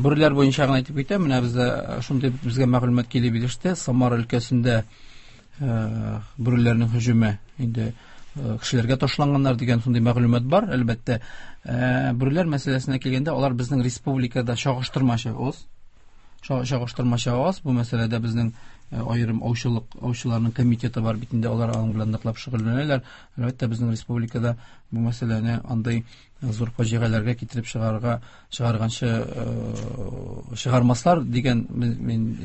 бүреләр буенча гына әйтеп китәм. Менә бездә шундый безгә мәгълүмат килеп иреште. Самара өлкәсендә бүреләрнең һөҗүме инде кешеләргә ташланганнар дигән шундый мәгълүмат бар. Әлбәттә, бүреләр мәсьәләсенә килгәндә, алар безнең республикада чагыштырмача аз. Чагыштырмача аз. Бу мәсьәләдә безнең аерым аучылык, аучыларның комитеты бар бит инде, алар аның белән ныклап шөгыльләнәләр. Әлбәттә, безнең республикада бу мәсьәләне андый зур фаҗигаләргә китереп чыгарга, чыгарганчы чыгармаслар дигән мин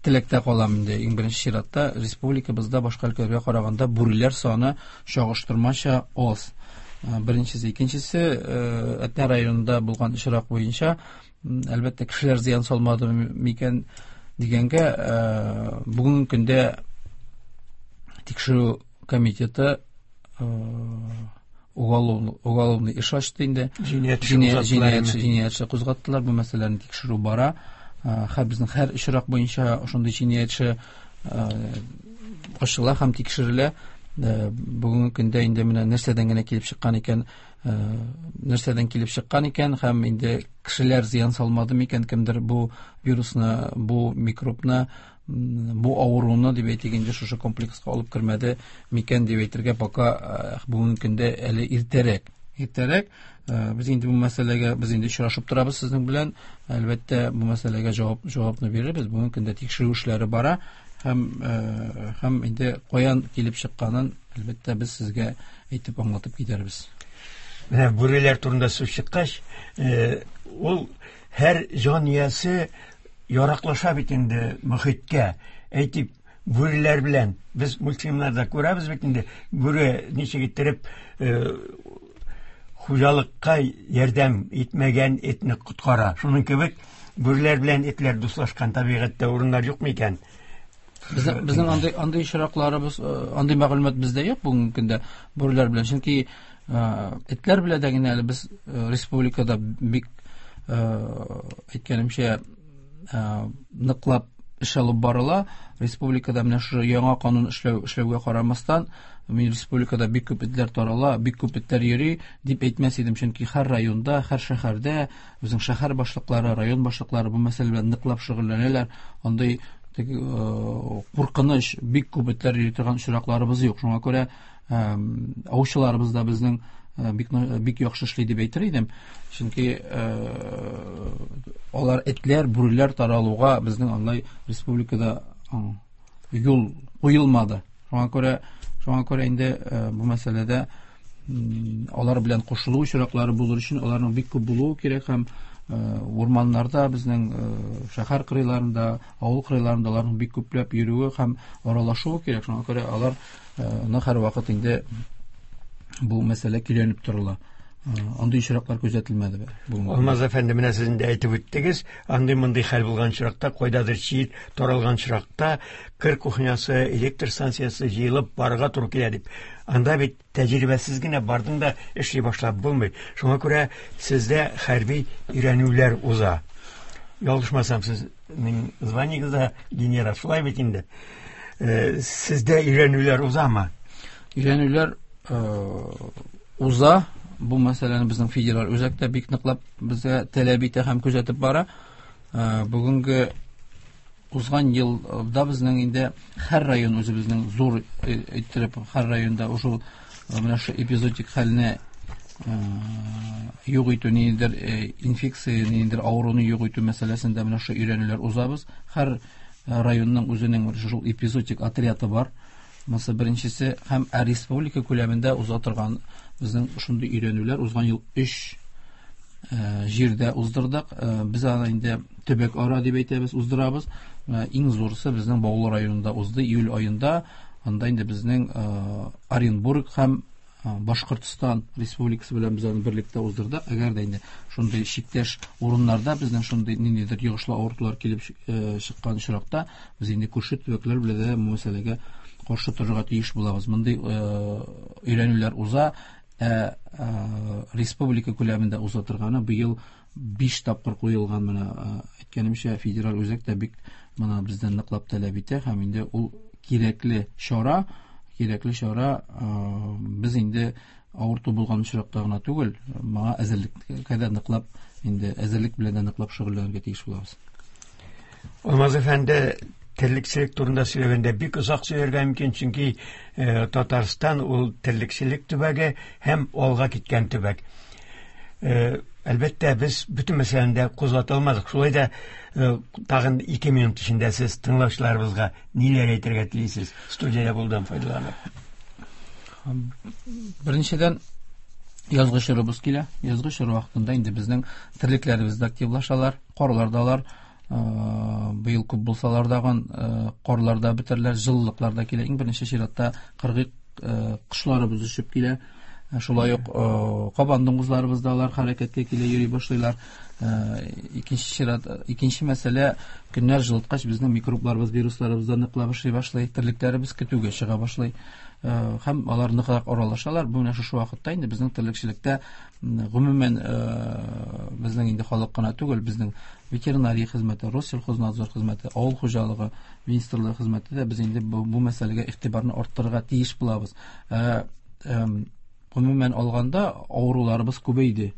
теләктә калам инде. Иң беренче чиратта республикабызда башка өлкәләргә караганда бүреләр саны чагыштырмача аз. Беренчесе, икенчесе, Әтнә районында булган очрак буенча, әлбәттә, кешеләр зыян салмады микән дигәнгә, бүгенге көндә тикшерү комитеты уголовный эш ачты инде. Җинаять эше кузгаттылар. Бу мәсьәләне тикшерү бара. Һәр безнең һәр очрак буенча шундый җинаять эше ачыла һәм тикшерелә. Бүгенге көндә инде менә нәрсәдән генә килеп чыккан икән, нәрсәдән килеп чыккан икән һәм инде кешеләр зыян салмады микән, кемдер бу вирусны, бу микробны, бу авыруны дип әйтик инде шушы комплекска алып кермәде микән дип әйтергә пока бүгенге көндә әле иртәрәк. Иртәрәк. Без инде бу мәсьәләгә без инде очрашып торабыз сезнең белән. Әлбәттә, бу мәсьәләгә җавап җавапны бирербез. Бүгенге көндә тикшерү эшләре бара һәм һәм инде каян килеп чыкканын әлбәттә без сезгә әйтеп аңлатып китәрбез. Менә бүреләр турында сүз чыккач, ул һәр җан иясе яраклаша бит инде мөхиткә. Әйтик, бүреләр белән без мультфильмнарда күрәбез бит инде, бүре ничек иттереп хуҗалыкка ярдәм итмәгән этне коткара. Шуның кебек бүреләр белән этләр дуслашкан табигатьтә урыннар юк микән? Безнең, безнең андый, андый очракларыбыз, андый мәгълүмат бездә юк бүгенге көндә бүреләр белән. Чөнки этләр белән дә генә әле без республикада бик, әйткәнемчә, ныклап эш алып барыла. Республикада менә шушы яңа канун эшләү, эшләүгә карамастан, мин республикада бик күп этләр тарала, бик күп этләр йөри дип әйтмәс идем, чөнки һәр районда, һәр шәһәрдә безнең шәһәр башлыклары, район башлыклары бу мәсьәлә белән ныклап шөгыльләнәләр. Андый куркыныч, бик күп этләр йөри торган очракларыбыз юк. Шуңа күрә аучыларыбыз да безнең бик, бик яхшы эшли дип әйтер идем. Чөнки алар этләр, бүреләр таралуга безнең андай республикада юл куелмады. Шуңа күрә, шуңа күрә инде бу мәсьәләдә алар белән кушылу очраклары булыр өчен аларның бик күп булуы кирәк һәм Урманнарда, безнең шәһәр кырыйларында, авыл кырыйларында аларның бик күпләп йөрүе һәм аралашуы кирәк. Шуңа күрә аларны һәрвакыт инде бу мәсьәлә көйләнеп торыла. Андый очраклар күзәтелмәде. Алмаз әфәнде, менә сез инде әйтеп үттегез, андый мондый хәл булган очракта, кайдадыр чир таралган очракта кыр кухнясы, электр станциясе җыелып барырга туры килә дип. Анда бит тәҗрибәсез генә бардың да эшли башлап булмый. Шуңа күрә сездә хәрби өйрәнүләр уза. Ялгышмасам, сезнең званиегез дә генерал, шулай бит инде. Сездә өйрәнүләр узамы? Өйрәнүләр уза. Бу мәсьәләне безнең федераль үзәктә бик ныклап безгә таләп итә һәм күзәтеп бара. Бүгенге узган елда безнең инде һәр район үзебезнең зур иттереп һәр районда ушул менә шу эпизодик хәлне юк итү, ниндидер инфекция, ниндидер авыруны юк итү мәсьәләсендә менә шу өйрәнүләр узабыз. Һәр районның үзенең шул эпизодик отряды бар. Монысы беренчесе, һәм республика күләмендә уза торган безнең шундый өйрәнүләр узган ел өч җирдә уздырдык. Без аны инде төбәк ара дип әйтәбез, уздырабыз. Иң зурысы безнең Баулы районында узды июль аенда. Анда инде безнең Оренбург һәм Башкортстан Республикасы белән без аны берлектә уздырдык. Әгәр дә инде шундый чиктәш урыннарда безнең шундый ниндидер йогышлы авыртулар килеп чыккан очракта, без инде күрше төбәкләр белән дә бу мәсьәләгә каршы торырга тиеш булабыз. Мондый өйрәнүләр уза. Ә республика күләмендә уза торганы быел биш тапкыр куелган. Менә әйткәнемчә, федераль үзәк тә бик моны бездән ныклап таләп итә һәм инде ул кирәкле чара, кирәкле чара. Без инде авырту булган очракта гына түгел, моңа әзерлеккә дә ныклап, инде әзерлек белән дә ныклап шөгыльләнергә тиеш булабыз. Алмаз әфәнде, терлекчелек турында сөйләгәндә бик озак сөйләргә мөмкин, чөнки Татарстан ул терлекчелек төбәге һәм алга киткән төбәк. Әлбәттә, без бөтен мәсьәләне дә кузгата алмадык. Шулай да тагын ике минут эчендә сез тыңлаучыларыбызга ниләр әйтергә телисез, студиядә булудан файдаланып? Беренчедән, язгы чорыбыз килә. Язгы чор вакытында инде безнең терлекләребез дә активлашалар, карлар да алар быел күп булсалар дагын карлар да бетерләр, җылылыклар да килә. Иң беренче чиратта кыргый кошларыбыз очып килә. Шулай ук кабан дуңгызларыбыз да алар хәрәкәткә килә, йөри башлыйлар. Икенче чират, икенче мәсьәлә, көннәр җылыткач безнең микробларыбыз, вирусларыбыз да ныклап эшли башлый, терлекләребез көтүгә чыга башлый һәм алар ныграк аралашалар. Бу менә шушы вакытта инде безнең терлекчелектә гомумән безнең инде халык кына түгел, безнең ветеринария хезмәте, Россельхознадзор хезмәте, авыл хуҗалыгы министрлыгы хезмәте дә без инде бу, бу мәсьәләгә игътибарны арттырырга тиеш булабыз. Гомумән алганда авыруларыбыз күбәйде.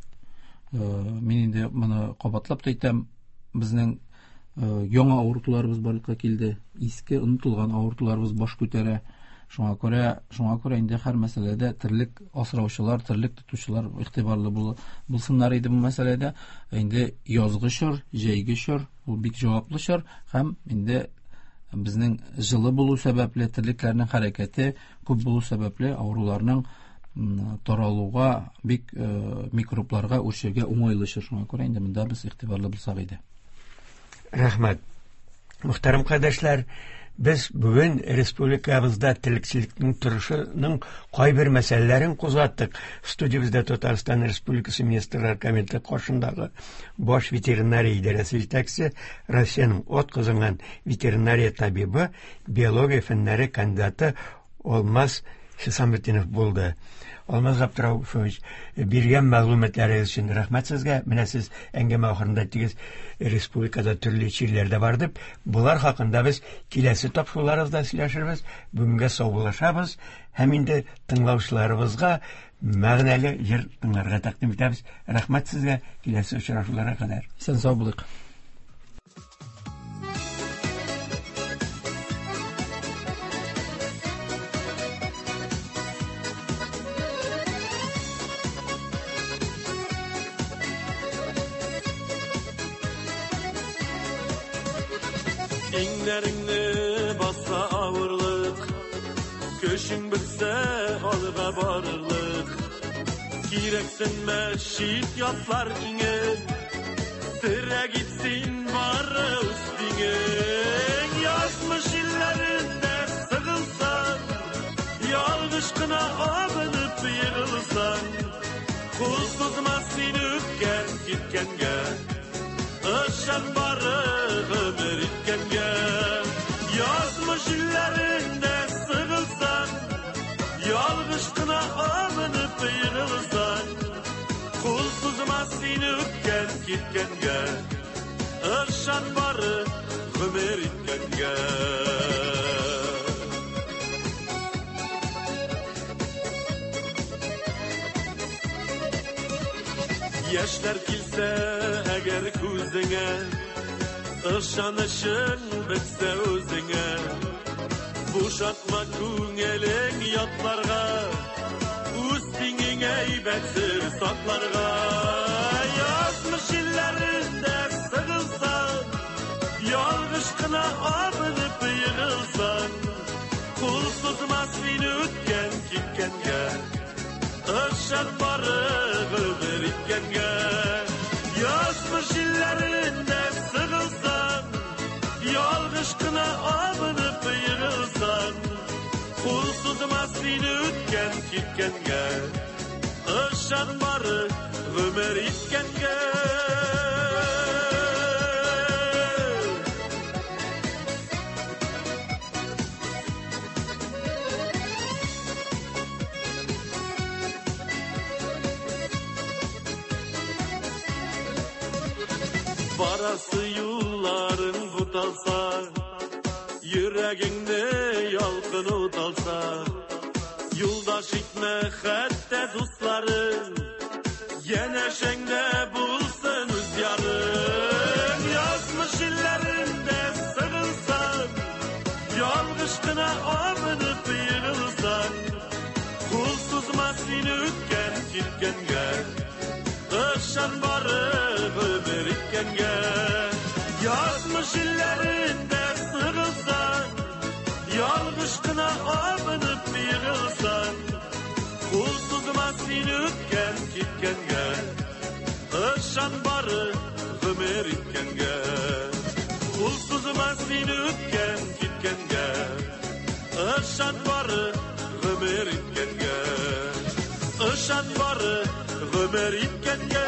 Мин инде моны кабатлап та әйтәм, безнең яңа авыртуларыбыз барлыкка килде, иске онытылган авыртуларыбыз баш күтәрә. Шуңа күрә, шуңа күрә инде һәр мәсьәләдә терлек асраучылар, терлек тотучылар игътибарлы булсыннар иде бу мәсьәләдә. Инде язгы чор, җәйге чор, ул бик җаваплы чор һәм инде безнең җылы булу сәбәпле, терлекләрнең хәрәкәте күп булу сәбәпле авыруларның таралуга, бик микробларга үрчергә уңайлы чор. Шуңа күрә инде монда без игътибарлы булсак иде. Рәхмәт. Мөхтәрәм кардәшләр, без бүген республикабызда терлекчелекнең торышының кайбер мәсьәләләрен кузгаттык. Студиябездә Татарстан Республикасы Министрлар Кабинеты каршындагы баш ветеринария идарәсе җитәкчесе, Россиянең атказанган ветеринария табибы, биология фәннәре кандидаты Алмаз Хисаметдинов булды. Алмаз Габдрауфович, биргән мәгълүматларыгыз өчен рәхмәт сезгә. Менә сез әңгәмә ахырында әйттегез, республикада төрле чирләр дә бар дип. Булар хакында без киләсе тапшыруларыбызда сөйләшербез. Бүгенгә саубуллашабыз һәм инде тыңлаучыларыбызга мәгънәле җыр тыңларга тәкъдим итәбез. Рәхмәт сезгә, киләсе очрашуларга кадәр. Исән сау булыйк. Иңнәреңне баса авырлык, көчең бетсә алга барырлык. Кирәксенмә чит ятлар иңен, Терәк итсен бары үз тиңең. Язмыш илләрендә сыгылсаң, ялгыш кына абынып егылсаң, кул сузма син үткән киткәнгә, ышан бары гомер иткәнгә. Язмыш илләрендә сыгылсаң, ялгыш кына абынып егылсаң, кул сузма син үткән киткәнгә, ышан бары гомер иткәнгә. Яшьләр килсә әгәр күзеңә, ышанычың бетсә үзеңә, бушатма күңелең ятларга, үз тиңең әйбәт сер сакларга. Язмыш илләрендә сыгылсаң, ялгыш кына абынып егылсаң, кул сузма син үткән киткәнгә, ышан бары гомер иткәнгә. Язмыш илләрендә сыгылсаң, ялгыш кына абынып егылсаң, кул сузма син үткән киткәнгә, ышан бары гомер иткәнгә. Барасы юлларың буталса, йөрәгеңне ялкын уталса, юлдаш итмә хәтта дусларың, янәшәңдә булсын үз ярың. Язмыш илләрендә сыгылсаң, ялгыш кына абынып егылсаң, кул сузма син үткән киткәнгә, ышан бары гомер иткәнгә. Язмыш илләрендә сыгылсаң, ялгыш кына абынып егылсаң, кул сузма син үткән киткәнгә, ышан бары гомер иткәнгә. Кул сузма син үткән киткәнгә, ышан бары гомер иткәнгә, ышан бары гомер иткәнгә.